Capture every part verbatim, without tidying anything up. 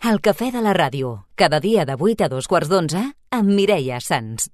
El cafè de la ràdio, cada dia de vuit a dos quarts d'onze, amb Mireia Sans.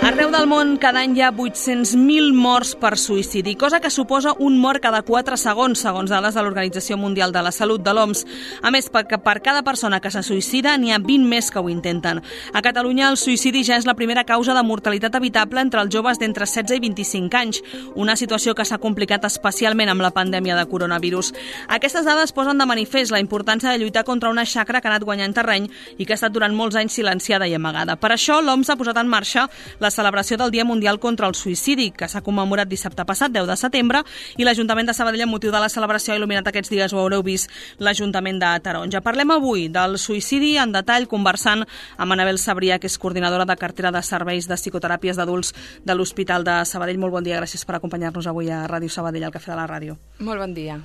Arreu del món, cada any hi ha vuit-cents mil morts per suïcidi, cosa que suposa un mort cada quatre segons, segons dades de l'Organització Mundial de la Salut, de l'O M S. A més, perquè per cada persona que se suïcida n'hi ha vint més que ho intenten. A Catalunya, el suïcidi ja és la primera causa de mortalitat evitable entre els joves d'entre setze i vint-i-cinc anys, una situació que s'ha complicat especialment amb la pandèmia de coronavirus. Aquestes dades posen de manifest la importància de lluitar contra una xacra que ha anat guanyant terreny i que ha estat durant molts anys silenciada i amagada. Per això, l'O M S ha posat en marxa la celebració del Dia Mundial contra el Suïcidi, que s'ha commemorat dissabte passat, deu de setembre, i l'Ajuntament de Sabadell, amb motiu de la celebració, ha il·luminat aquests dies, ho haureu vist, l'Ajuntament de Taronja. Parlem avui del suïcidi en detall, conversant amb Anabel Sabrià, que és coordinadora de cartera de serveis de psicoteràpies d'adults de l'Hospital de Sabadell. Molt bon dia, gràcies per acompanyar-nos avui a Ràdio Sabadell, al Cafè de la Ràdio. Molt bon dia.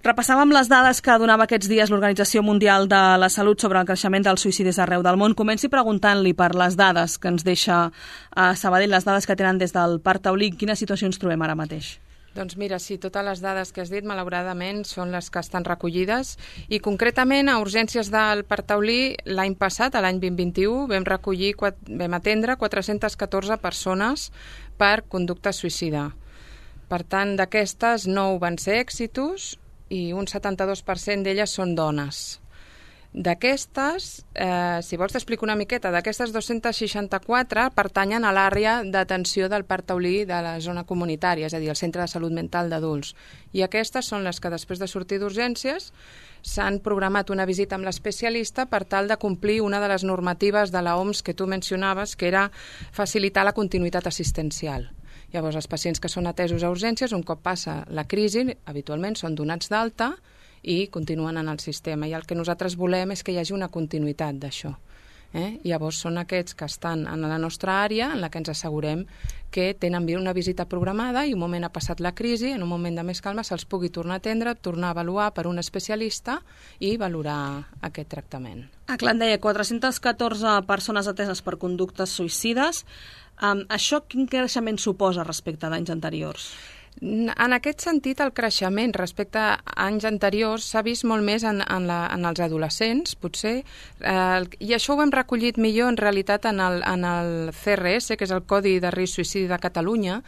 Repassàvem les dades que donava aquests dies l'Organització Mundial de la Salut sobre el creixement dels suïcidis arreu del món. Comenci preguntant-li per les dades que ens deixa a Sabadell, les dades que tenen des del Parc Taulí. Quina situació ens trobem ara mateix? Doncs mira, sí, totes les dades que has dit, malauradament, són les que estan recollides i concretament a urgències del Parc Taulí l'any passat, l'any vint vint-i-u, vam recollir, vam atendre quatre-centes catorze persones per conducta suïcida. Per tant, d'aquestes, nou van ser èxitos i un setanta-dos per cent d'elles són dones. D'aquestes, eh, si vols t'explico una miqueta, d'aquestes dos-centes seixanta-quatre pertanyen a l'àrea d'atenció del Parc Taulí de la zona comunitària, és a dir, el Centre de Salut Mental d'Adults. I aquestes són les que després de sortir d'urgències s'han programat una visita amb l'especialista per tal de complir una de les normatives de l'O M S que tu mencionaves, que era facilitar la continuïtat assistencial. Llavors, els pacients que són atesos a urgències, un cop passa la crisi, habitualment són donats d'alta i continuen en el sistema. I el que nosaltres volem és que hi hagi una continuïtat d'això. Eh? Llavors, són aquests que estan en la nostra àrea, en la que ens assegurem que tenen una visita programada i un moment ha passat la crisi, en un moment de més calma se'ls pugui tornar a atendre, tornar a avaluar per un especialista i valorar aquest tractament. Ah, clar, em deia, quatre-centes catorze persones ateses per conductes suïcides. Um, això quin creixement suposa respecte d'anys anteriors? En aquest sentit, el creixement respecte a anys anteriors s'ha vist molt més en, en, la, en els adolescents, potser, eh, i això ho hem recollit millor en realitat en el, en el C R S, que és el Codi de Risc Suïcidi de Catalunya,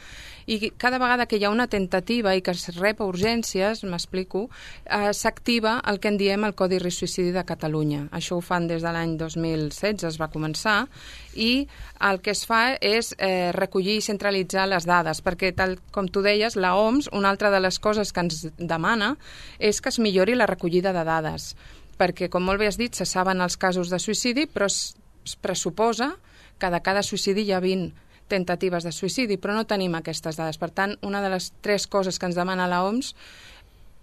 i cada vegada que hi ha una tentativa i que es rep a urgències, m'explico, eh, s'activa el que en diem el Codi Risc Suïcidi de Catalunya. Això ho fan des de l'any dos mil setze, es va començar, i el que es fa és eh, recollir i centralitzar les dades, perquè tal com tu deies, la O M S, una altra de les coses que ens demana és que es millori la recollida de dades, perquè, com molt bé has dit, se saben els casos de suïcidi, però es, es pressuposa que de cada suïcidi hi ha vint tentatives de suïcidi, però no tenim aquestes dades. Per tant, una de les tres coses que ens demana la O M S,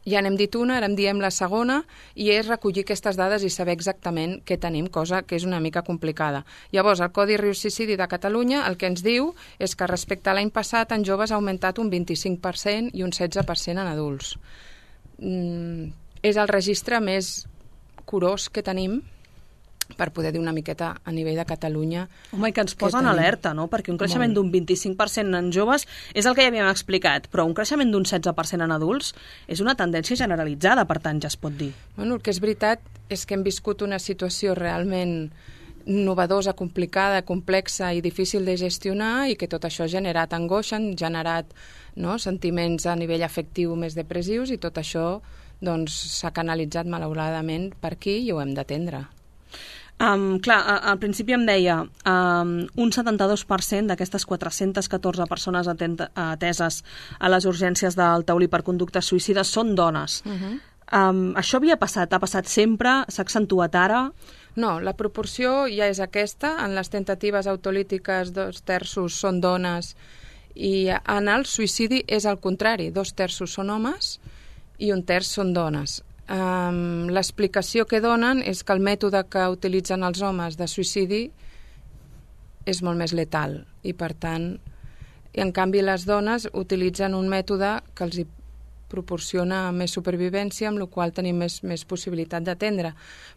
ja n'hem dit una, ara en diem la segona, i és recollir aquestes dades i saber exactament què tenim, cosa que és una mica complicada. Llavors, el Codi Risc Suïcidi de Catalunya el que ens diu és que respecte a l'any passat en joves ha augmentat un vint-i-cinc per cent i un setze per cent en adults. Mm, és el registre més curós que tenim per poder dir una miqueta a nivell de Catalunya. Home, i que ens posen alerta, no? Perquè un creixement d'un vint-i-cinc per cent en joves és el que ja havíem explicat, però un creixement d'un setze per cent en adults és una tendència generalitzada, per tant, ja es pot dir. Bueno, el que és veritat és que hem viscut una situació realment novedosa, complicada, complexa i difícil de gestionar i que tot això ha generat angoixa, ha generat, no, sentiments a nivell afectiu més depressius i tot això doncs, s'ha canalitzat malauradament per aquí i ho hem d'atendre. Um, clar, al principi em deia um, un setanta-dos per cent d'aquestes quatre-centes catorze persones atenta, ateses a les urgències del Taulí per conductes suïcides són dones. Uh-huh. um, això havia passat? Ha passat sempre? S'ha accentuat ara? No, la proporció ja és aquesta. En les tentatives autolítiques dos terços són dones i en el suïcidi és al contrari. Dos terços són homes i un terç són dones. Um, l'explicació que donen és que el mètode que utilitzen els homes de suïcidi és molt més letal i per tant, i en canvi les dones utilitzen un mètode que els hi proporciona més supervivència, amb la qual tenim més, més possibilitat d'atendre.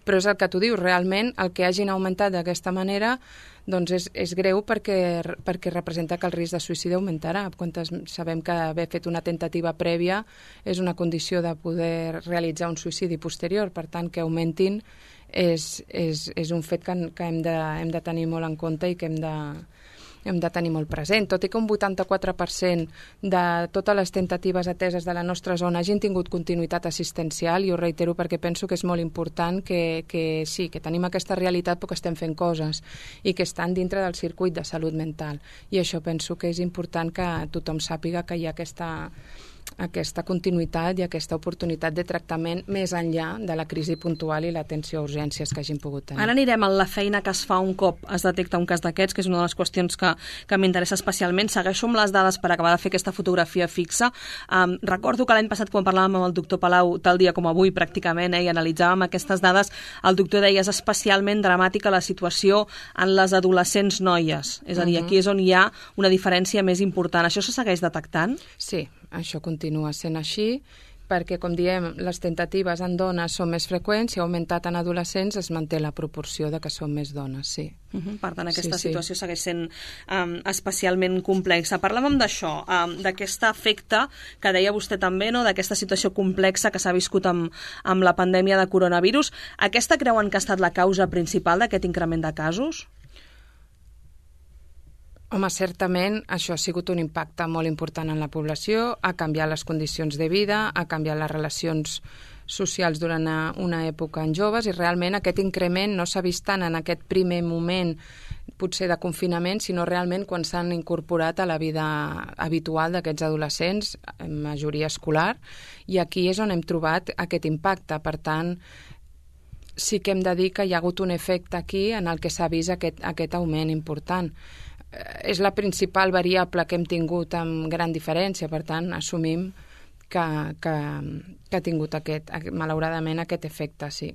Però és el que tu dius, realment el que hagin augmentat d'aquesta manera doncs és, és greu perquè, perquè representa que el risc de suïcidi augmentarà. Quantes sabem que haver fet una tentativa prèvia és una condició de poder realitzar un suïcidi posterior, per tant que augmentin és, és, és un fet que, que hem, de, hem de tenir molt en compte i que hem de, hem de tenir molt present. Tot i que un vuitanta-quatre per cent de totes les tentatives ateses de la nostra zona hagin tingut continuïtat assistencial, i ho reitero perquè penso que és molt important que, que sí, que tenim aquesta realitat però que estem fent coses i que estan dintre del circuit de salut mental. I això penso que és important que tothom sàpiga que hi ha aquesta aquesta continuïtat i aquesta oportunitat de tractament més enllà de la crisi puntual i l'atenció a urgències que hagin pogut tenir. Ara anirem a la feina que es fa un cop es detecta un cas d'aquests, que és una de les qüestions que, que m'interessa especialment. Segueixo amb les dades per acabar de fer aquesta fotografia fixa. Um, recordo que l'any passat, quan parlàvem amb el doctor Palau, tal dia com avui pràcticament, eh, i analitzàvem aquestes dades, el doctor deia és especialment dramàtica la situació en les adolescents noies. És a dir, aquí és on hi ha una diferència més important. Això se segueix detectant? Sí, això continua sent així, perquè, com diem, les tentatives en dones són més freqüents i ha augmentat en adolescents, es manté la proporció de que són més dones, sí. Uh -huh. Per tant, aquesta sí, situació sí. segueix sent um, especialment complexa. Parlàvem d'això, um, d'aquest efecte que deia vostè també, no?, d'aquesta situació complexa que s'ha viscut amb, amb la pandèmia de coronavirus. Aquesta creuen que ha estat la causa principal d'aquest increment de casos? Home, certament això ha sigut un impacte molt important en la població, ha canviat les condicions de vida, ha canviat les relacions socials durant una època en joves, i realment aquest increment no s'ha vist tant en aquest primer moment potser de confinament, sinó realment quan s'han incorporat a la vida habitual d'aquests adolescents, en majoria escolar, i aquí és on hem trobat aquest impacte. Per tant, sí que hem de dir que hi ha hagut un efecte aquí en el que s'ha vist aquest, aquest augment important. És la principal variable que hem tingut amb gran diferència, per tant, assumim que, que, que ha tingut aquest, malauradament aquest efecte, sí.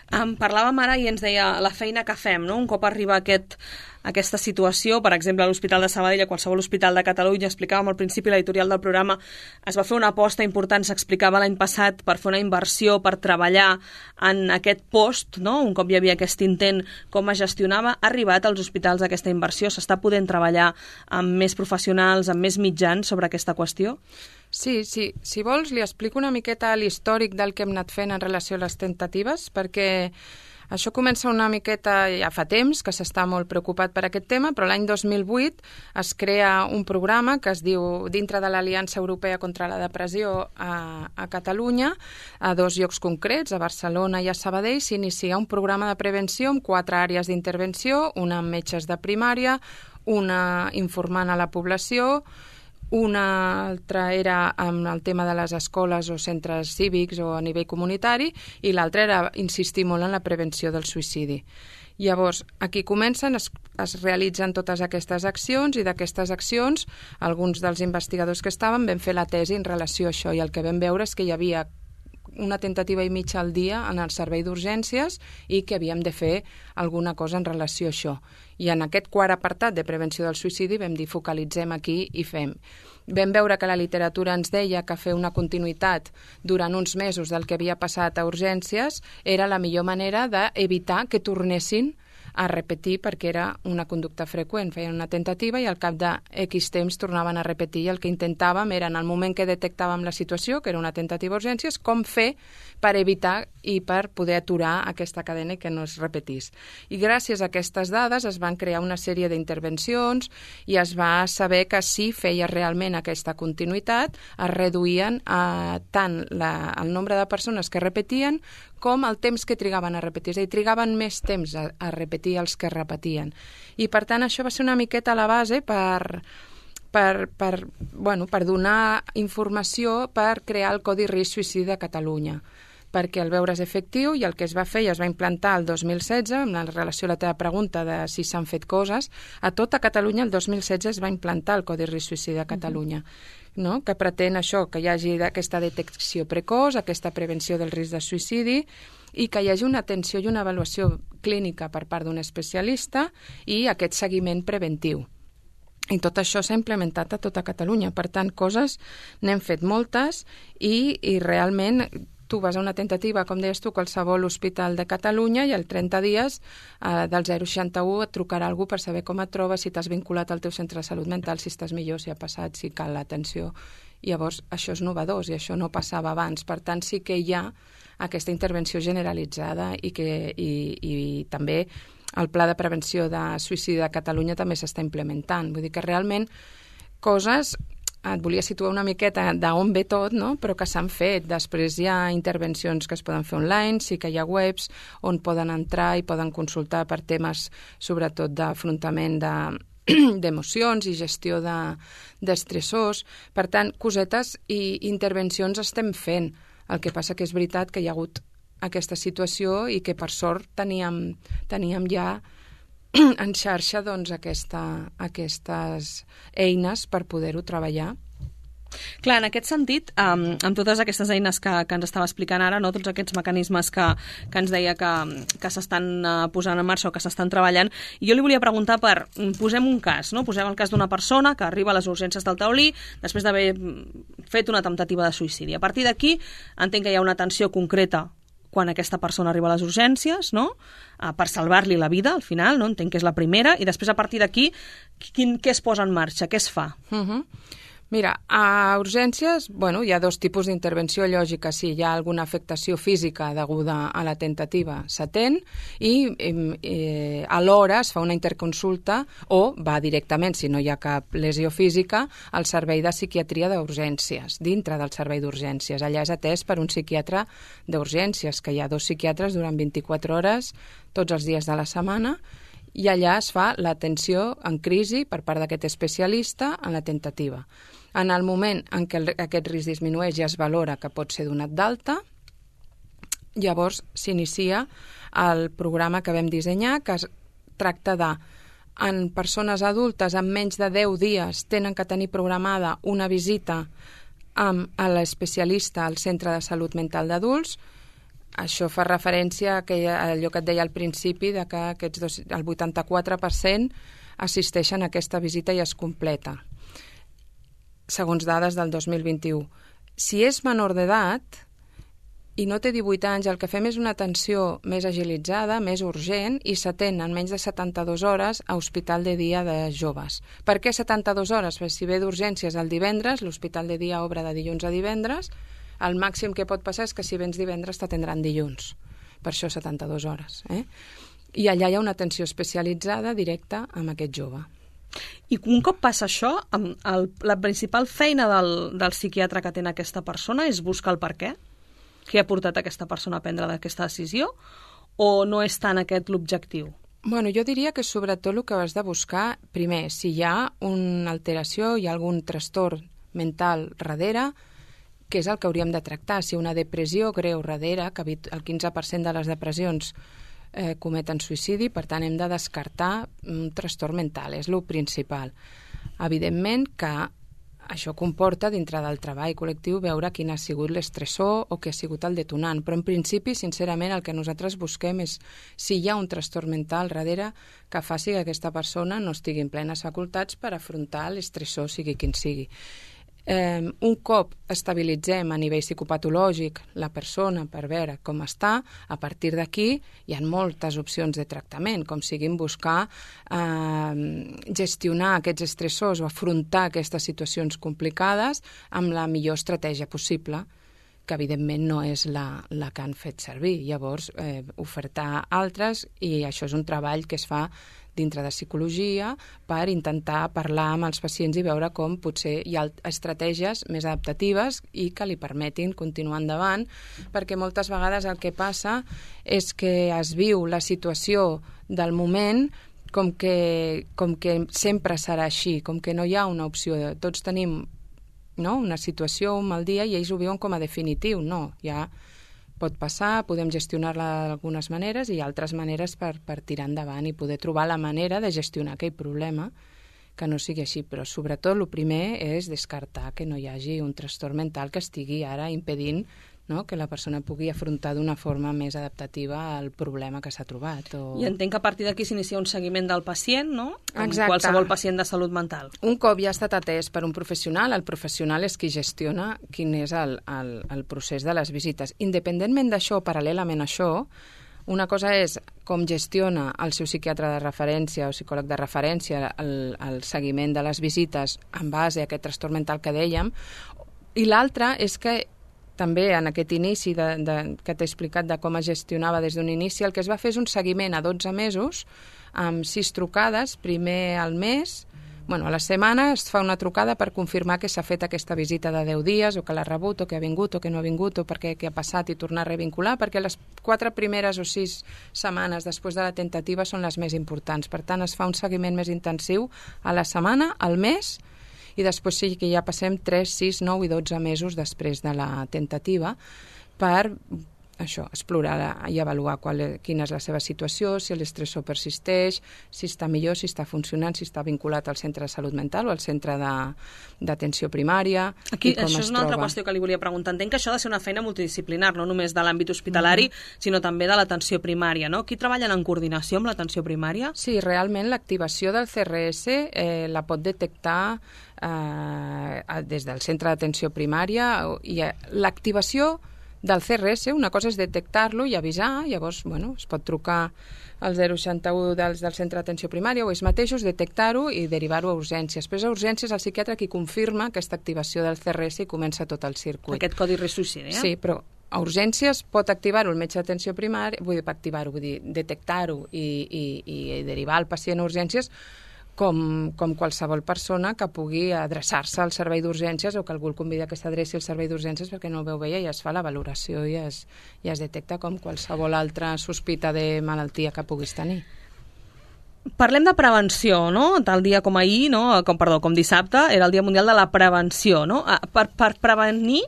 Um, parlàvem ara i ens deia la feina que fem, no? Un cop arriba aquest, aquesta situació, per exemple, a l'Hospital de Sabadell, a qualsevol hospital de Catalunya, explicàvem al principi l'editorial del programa, es va fer una aposta important, s'explicava l'any passat, per fer una inversió, per treballar en aquest post, no? Un cop hi havia aquest intent, com es gestionava, ha arribat als hospitals aquesta inversió, s'està podent treballar amb més professionals, amb més mitjans sobre aquesta qüestió? Sí, sí. Si vols, li explico una miqueta l'històric del que hem anat fent en relació a les tentatives, perquè això comença una miqueta ja fa temps, que s'està molt preocupat per aquest tema, però l'any dos mil vuit es crea un programa que es diu dintre de l'Aliança Europea contra la Depressió a, a Catalunya, a dos llocs concrets, a Barcelona i a Sabadell, s'inicia un programa de prevenció amb quatre àrees d'intervenció, una amb metges de primària, una informant a la població, una altra era amb el tema de les escoles o centres cívics o a nivell comunitari, i l'altra era insistir molt en la prevenció del suïcidi. Llavors, aquí comencen, es, es realitzen totes aquestes accions, i d'aquestes accions, alguns dels investigadors que estaven vam fer la tesi en relació a això, i el que vam veure és que hi havia una tentativa i mitja al dia en el servei d'urgències i que havíem de fer alguna cosa en relació a això. I en aquest quart apartat de prevenció del suïcidi vam dir focalitzem aquí i fem. Vam veure que la literatura ens deia que fer una continuïtat durant uns mesos del que havia passat a urgències era la millor manera d'evitar que tornessin a repetir, perquè era una conducta freqüent. Feien una tentativa i al cap de X temps tornaven a repetir, i el que intentàvem era, en el moment que detectàvem la situació, que era una tentativa d'urgències, com fer per evitar i per poder aturar aquesta cadena i que no es repetís. I gràcies a aquestes dades es van crear una sèrie d'intervencions i es va saber que si feia realment aquesta continuïtat es reduïen a tant la, el nombre de persones que repetien com el temps que trigaven a repetir. És a dir, trigaven més temps a, a repetir els que repetien. I, per tant, això va ser una miqueta la base per, per, per, bueno, per donar informació per crear el Codi Risc Suïcidi de Catalunya, perquè el veure's efectiu, i el que es va fer i es va implantar el dos mil setze, en relació a la teva pregunta de si s'han fet coses, a tota Catalunya el dos mil setze es va implantar el Codi Risc Suïcidi de Catalunya, no? Que pretén això, que hi hagi aquesta detecció precoç, aquesta prevenció del risc de suïcidi, i que hi hagi una atenció i una avaluació clínica per part d'un especialista i aquest seguiment preventiu. I tot això s'ha implementat a tota Catalunya. Per tant, coses n'hem fet moltes i, i realment tu vas a una tentativa, com deies tu, qualsevol hospital de Catalunya i al trenta dies eh, del zero seixanta u et trucarà algú per saber com et trobes, si t'has vinculat al teu centre de salut mental, si estàs millor, si ha passat, si cal l'atenció. Llavors, això és novedós i això no passava abans. Per tant, sí que hi ha aquesta intervenció generalitzada i, que, i, i també el Pla de Prevenció de Suïcidi de Catalunya també s'està implementant. Vull dir que realment coses, et volia situar una miqueta d'on ve tot, no? Però que s'han fet. Després hi ha intervencions que es poden fer online, sí que hi ha webs on poden entrar i poden consultar per temes sobretot d'afrontament de d'emocions i gestió de, d'estressors. Per tant, cosetes i intervencions estem fent. El que passa que és veritat que hi ha hagut aquesta situació i que per sort teníem, teníem ja en xarxa doncs, aquesta, aquestes eines per poder-ho treballar. Clar, en aquest sentit, um, amb totes aquestes eines que, que ens estava explicant ara, no, tots aquests mecanismes que, que ens deia que, que s'estan uh, posant en marxa o que s'estan treballant, jo li volia preguntar per, posem un cas, no? Posem el cas d'una persona que arriba a les urgències del Taulí després d'haver fet una temptativa de suïcidi. A partir d'aquí, entenc que hi ha una atenció concreta quan aquesta persona arriba a les urgències, no? Uh, per salvar-li la vida, al final, no? Entenc que és la primera, i després a partir d'aquí, quin, què es posa en marxa, què es fa? Uh-huh. Mira, a urgències, bueno, hi ha dos tipus d'intervenció lògica. Si hi ha alguna afectació física deguda a la tentativa, s'atén i eh, alhora es fa una interconsulta o va directament, si no hi ha cap lesió física, al servei de psiquiatria d'urgències, dintre del servei d'urgències. Allà és atès per un psiquiatre d'urgències, que hi ha dos psiquiatres durant vint-i-quatre hores, tots els dies de la setmana, i allà es fa l'atenció en crisi per part d'aquest especialista en la tentativa. En el moment en què el, aquest risc disminueix i es valora que pot ser donat d'alta, llavors s'inicia el programa que vam dissenyar, que es tracta de, en persones adultes amb menys de deu dies tenen que tenir programada una visita amb l'especialista al Centre de Salut Mental d'Adults. Això fa referència a, que, a allò que et deia al principi, de que aquests dos, el vuitanta-quatre per cent assisteixen a aquesta visita i es completa, segons dades del dos mil vint-i-u. Si és menor d'edat i no té divuit anys, el que fem és una atenció més agilitzada, més urgent, i s'atén en menys de setanta-dues hores a hospital de dia de joves. Per què setanta-dues hores? Perquè si ve d'urgències el divendres, l'hospital de dia obre de dilluns a divendres, el màxim que pot passar és que si vens divendres t'atendran dilluns. Per això setanta-dues hores. Eh? I allà hi ha una atenció especialitzada directa amb aquest jove. I un cop passa això, el, la principal feina del, del psiquiatre que atén aquesta persona és buscar el per què? Què ha portat aquesta persona a prendre aquesta decisió? O no és tant aquest l'objectiu? Bueno, jo diria que sobretot el que has de buscar, primer, si hi ha una alteració, hi ha algun trastorn mental darrere, que és el que hauríem de tractar. Si una depressió greu darrere, que el quinze per cent de les depressions eh, cometen suïcidi, per tant hem de descartar un trastorn mental, és el principal. Evidentment que això comporta, dintre del treball col·lectiu, veure quin ha sigut l'estressor o què ha sigut el detonant, però en principi, sincerament, el que nosaltres busquem és si hi ha un trastorn mental darrere que faci que aquesta persona no estigui en plenes facultats per afrontar l'estressor, sigui quin sigui. Eh, un cop estabilitzem a nivell psicopatològic la persona per veure com està, a partir d'aquí hi ha moltes opcions de tractament, com siguin buscar eh, gestionar aquests estressors o afrontar aquestes situacions complicades amb la millor estratègia possible, que evidentment no és la, la que han fet servir. Llavors, eh, ofertar altres, i això és un treball que es fa dintre de psicologia per intentar parlar amb els pacients i veure com potser hi ha estratègies més adaptatives i que li permetin continuar endavant, perquè moltes vegades el que passa és que es viu la situació del moment com que, com que sempre serà així, com que no hi ha una opció. Tots tenim, no?, una situació, un mal dia, i ells ho viuen com a definitiu. No, ja pot passar, podem gestionar-la d'algunes maneres i altres maneres per, per tirar endavant i poder trobar la manera de gestionar aquell problema que no sigui així. Però sobretot el primer és descartar que no hi hagi un trastorn mental que estigui ara impedint no? Que la persona pugui afrontar d'una forma més adaptativa al problema que s'ha trobat. O... I entenc que a partir d'aquí s'inicia un seguiment del pacient, no? Com Exacte. Qualsevol pacient de salut mental. Un cop ja ha estat atès per un professional, el professional és qui gestiona quin és el, el, el procés de les visites. Independentment d'això, paral·lelament a això, una cosa és com gestiona el seu psiquiatre de referència o psicòleg de referència el, el seguiment de les visites en base a aquest trastorn mental que dèiem, i l'altra és que també en aquest inici de, de, que t'he explicat de com es gestionava des d'un inici, el que es va fer és un seguiment a dotze mesos amb sis trucades, primer al mes, bueno, a la setmana es fa una trucada per confirmar que s'ha fet aquesta visita de deu dies o que l'ha rebut o que ha vingut o que no ha vingut o perquè què ha passat i tornar a revincular, perquè les quatre primeres o sis setmanes després de la tentativa són les més importants. Per tant, es fa un seguiment més intensiu a la setmana, al mes, i després sí que ja passem tres, sis, nou i dotze mesos després de la tentativa per això, explorar i avaluar qual, quina és la seva situació, si l'estressor persisteix, si està millor, si està funcionant, si està vinculat al centre de salut mental o al centre d'atenció primària. Aquí, i com això és una troba. altra qüestió que li volia preguntar. Entenc que això ha de ser una feina multidisciplinar, no només de l'àmbit hospitalari, mm-hmm. sinó també de l'atenció primària, no? Qui treballen en coordinació amb l'atenció primària? Sí, realment l'activació del C R S eh, la pot detectar eh, des del centre d'atenció primària i eh, l'activació del C R S, una cosa és detectar-lo i avisar, llavors, bueno, es pot trucar al zero seixanta u dels, del centre d'atenció primària o ells mateixos, detectar-ho i derivar-ho a urgències. Després a urgències el psiquiatre qui confirma aquesta activació del C R S i comença tot el circuit. Aquest codi risc suïcidi, eh? Sí, però a urgències pot activar-ho el metge d'atenció primària, vull dir, activar-ho, vull dir, detectar-ho i, i, i derivar el pacient a urgències com, com qualsevol persona que pugui adreçar-se al servei d'urgències o que algú el convida que s'adreci al servei d'urgències perquè no el veu bé i es fa la valoració i es, i es detecta com qualsevol altra sospita de malaltia que puguis tenir. Parlem de prevenció, no? Tal dia com ahir, no? Com, perdó, com dissabte, era el Dia Mundial de la Prevenció, no? Per, per prevenir,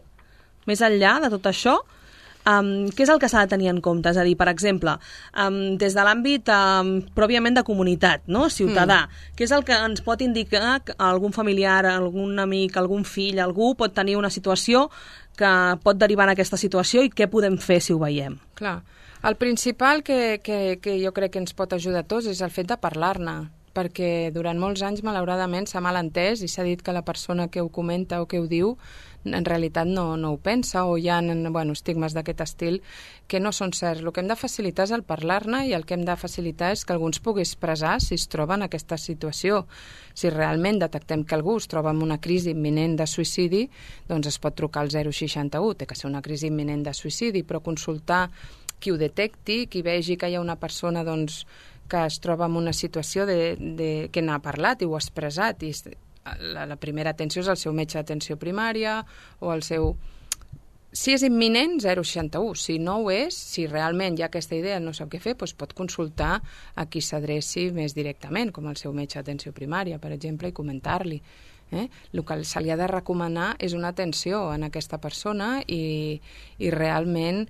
més enllà de tot això, Um, què és el que s'ha de tenir en compte? És a dir, per exemple, um, des de l'àmbit um, pròpiament de comunitat, no? Ciutadà, mm. què és el que ens pot indicar que algun familiar, algun amic, algun fill, algú pot tenir una situació que pot derivar en aquesta situació i què podem fer si ho veiem? Clar, el principal que, que, que jo crec que ens pot ajudar a tots és el fet de parlar-ne, perquè durant molts anys, malauradament, s'ha malentès i s'ha dit que la persona que ho comenta o que ho diu en realitat no, no ho pensa o hi ha bueno, estigmes d'aquest estil que no són certs. El que hem de facilitar és el parlar-ne i el que hem de facilitar és que algú ens pugui expressar si es troba en aquesta situació. Si realment detectem que algú es troba en una crisi imminent de suïcidi, doncs es pot trucar al zero seixanta u, té que ser una crisi imminent de suïcidi, però consultar qui ho detecti, qui vegi que hi ha una persona doncs, que es troba en una situació de, de, que n'ha parlat i ho ha expressat i la, la primera atenció és el seu metge d'atenció primària o el seu... Si és imminent, zero seixanta u. Si no ho és, si realment hi ha aquesta idea no sap què fer, doncs pot consultar a qui s'adreci més directament, com el seu metge d'atenció primària, per exemple, i comentar-li. Eh? El que se li ha de recomanar és una atenció en aquesta persona i, i realment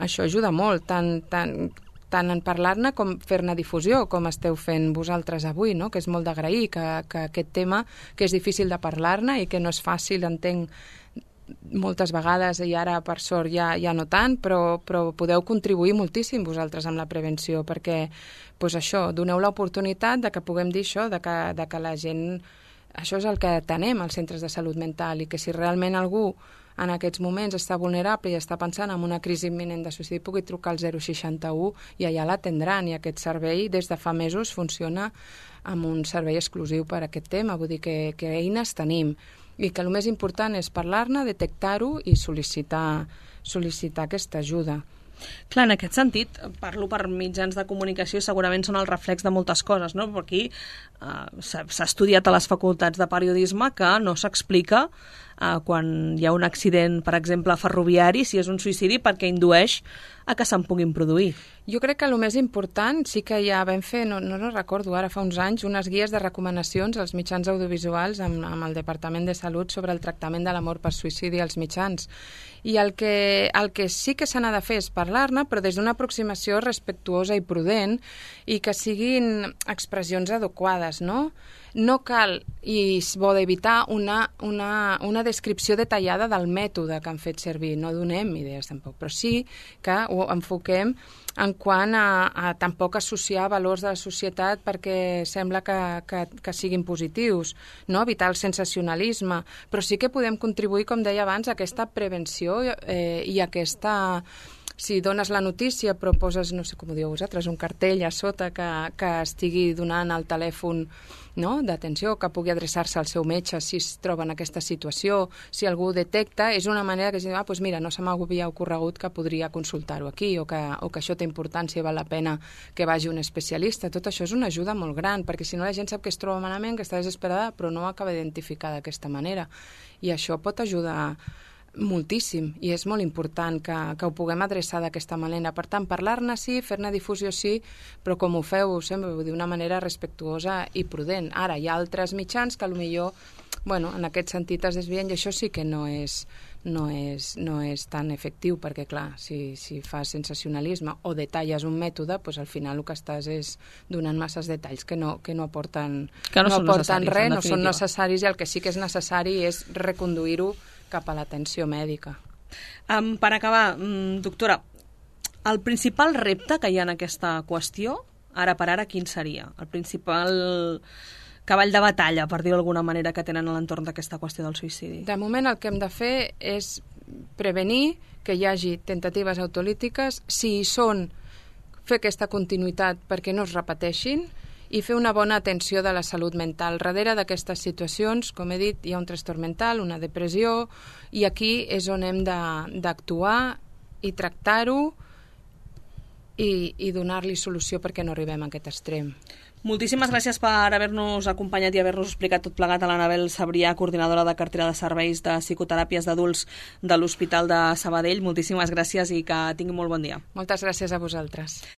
això ajuda molt, tant... tant tant en parlar-ne com fer-ne difusió, com esteu fent vosaltres avui, no? Que és molt d'agrair que, que aquest tema, que és difícil de parlar-ne i que no és fàcil, entenc, moltes vegades, i ara per sort ja, ja no tant, però, però podeu contribuir moltíssim vosaltres amb la prevenció, perquè pues això, doneu l'oportunitat de que puguem dir això, de que, de que la gent... Això és el que tenem als centres de salut mental i que si realment algú en aquests moments està vulnerable i està pensant en una crisi imminent de suïcidi, pugui trucar al zero seixanta u i allà l'atendran. I aquest servei des de fa mesos funciona amb un servei exclusiu per a aquest tema. Vull dir que, que eines tenim i que el més important és parlar-ne, detectar-ho i sol·licitar, sol·licitar aquesta ajuda. Clar, en aquest sentit, parlo per mitjans de comunicació i segurament són el reflex de moltes coses, no? Però aquí uh, s'ha estudiat a les facultats de periodisme que no s'explica uh, quan hi ha un accident, per exemple, ferroviari, si és un suïcidi, perquè indueix a que se'n puguin produir. Jo crec que el més important sí que ja vam fer, no, no, no recordo ara fa uns anys, unes guies de recomanacions als mitjans audiovisuals amb, amb el Departament de Salut sobre el tractament de la mort per suïcidi als mitjans. I el que, el que sí que se n'ha de fer és parlar-ne, però des d'una aproximació respectuosa i prudent i que siguin expressions adequades, no? no cal, i és bo d'evitar, una, una, una descripció detallada del mètode que han fet servir. No donem idees tampoc, però sí que ho enfoquem en quant a, a tampoc associar valors de la societat perquè sembla que, que, que siguin positius, no? Evitar el sensacionalisme, però sí que podem contribuir, com deia abans, a aquesta prevenció eh, i aquesta... Si dones la notícia però poses, no sé com ho dieu vosaltres, un cartell a sota que, que estigui donant el telèfon, no?, d'atenció, que pugui adreçar-se al seu metge si es troba en aquesta situació, si algú detecta, és una manera que es diu, ah, doncs mira, no se m'havia ocorregut que podria consultar-ho aquí, o que, o que això té importància i val la pena que vagi un especialista. Tot això és una ajuda molt gran, perquè si no la gent sap que es troba malament, que està desesperada, però no ho acaba d'identificar d'aquesta manera. I això pot ajudar moltíssim, i és molt important que, que ho puguem adreçar d'aquesta manera. Per tant, parlar-ne sí, fer-ne difusió sí, però com ho feu sempre d'una manera respectuosa i prudent. Ara, hi ha altres mitjans que potser, bueno, en aquest sentit es desvien, i això sí que no és, no és, no és tan efectiu, perquè clar, si, si fas sensacionalisme o detalles un mètode, doncs al final el que estàs és donant masses detalls que no, que no aporten, que no no aporten res, no són necessaris, i el que sí que és necessari és reconduir-ho cap a l'atenció mèdica. Um, per acabar, um, doctora, el principal repte que hi ha en aquesta qüestió, ara per ara, quin seria? El principal cavall de batalla, per dir-ho d'alguna manera, que tenen a l'entorn d'aquesta qüestió del suïcidi? De moment el que hem de fer és prevenir que hi hagi temptatives autolítiques, si hi són, fer aquesta continuïtat perquè no es repeteixin, i fer una bona atenció de la salut mental. Darrere d'aquestes situacions, com he dit, hi ha un trastorn mental, una depressió, i aquí és on hem d'actuar i tractar-ho i, i donar-li solució perquè no arribem a aquest extrem. Moltíssimes gràcies per haver-nos acompanyat i haver-nos explicat tot plegat a l'Anabel Sabrià, coordinadora de cartera de serveis de psicoteràpies d'adults de l'Hospital de Sabadell. Moltíssimes gràcies i que tingui molt bon dia. Moltes gràcies a vosaltres.